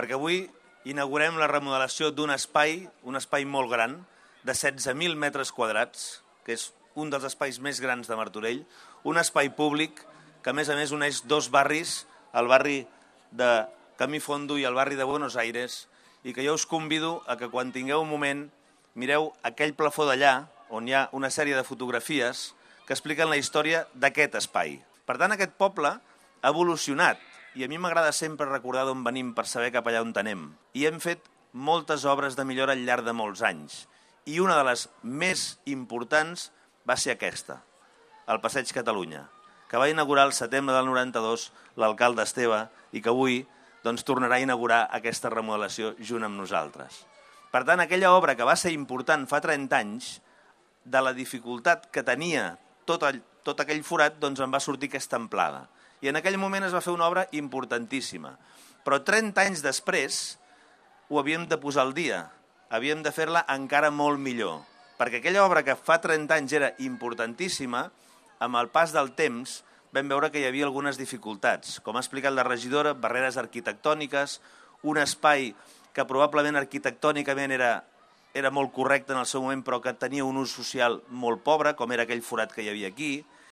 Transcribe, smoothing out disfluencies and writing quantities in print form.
perquè avui inaugurem la remodelació d'un espai, un espai molt gran, de 16.000 metres quadrats, que és un dels espais més grans de Martorell, un espai públic que a més uneix dos barris, el barri de Camí Fondo i el barri de Buenos Aires, i que jo us convido a que quan tingueu un moment mireu aquell plafó d'allà, on hi ha una sèrie de fotografies que expliquen la història d'aquest espai. Per tant, aquest poble ha evolucionat, i a mi m'agrada sempre recordar d'on venim per saber cap allà on anem. I hem fet moltes obres de millora al llarg de molts anys, i una de les més importants va ser aquesta, el Passeig Catalunya, que va inaugurar el setembre del 92 l'alcalde Esteve i que avui tornarà a inaugurar aquesta remodelació junt amb nosaltres. Per tant, aquella obra que va ser important fa 30 anys, de la dificultat que tenia tot aquell forat, en va sortir aquesta amplada. I en aquell moment es va fer una obra importantíssima. Però 30 anys després ho havíem de posar al dia, havíem de fer-la encara molt millor, perquè aquella obra que fa 30 anys era importantíssima, amb el pas del temps vam veure que hi havia algunes dificultats. Com ha explicat la regidora, barreres arquitectòniques, un espai que probablement arquitectònicament era molt correcte en el seu moment, però que tenia un ús social molt pobre, com era aquell forat que hi havia aquí,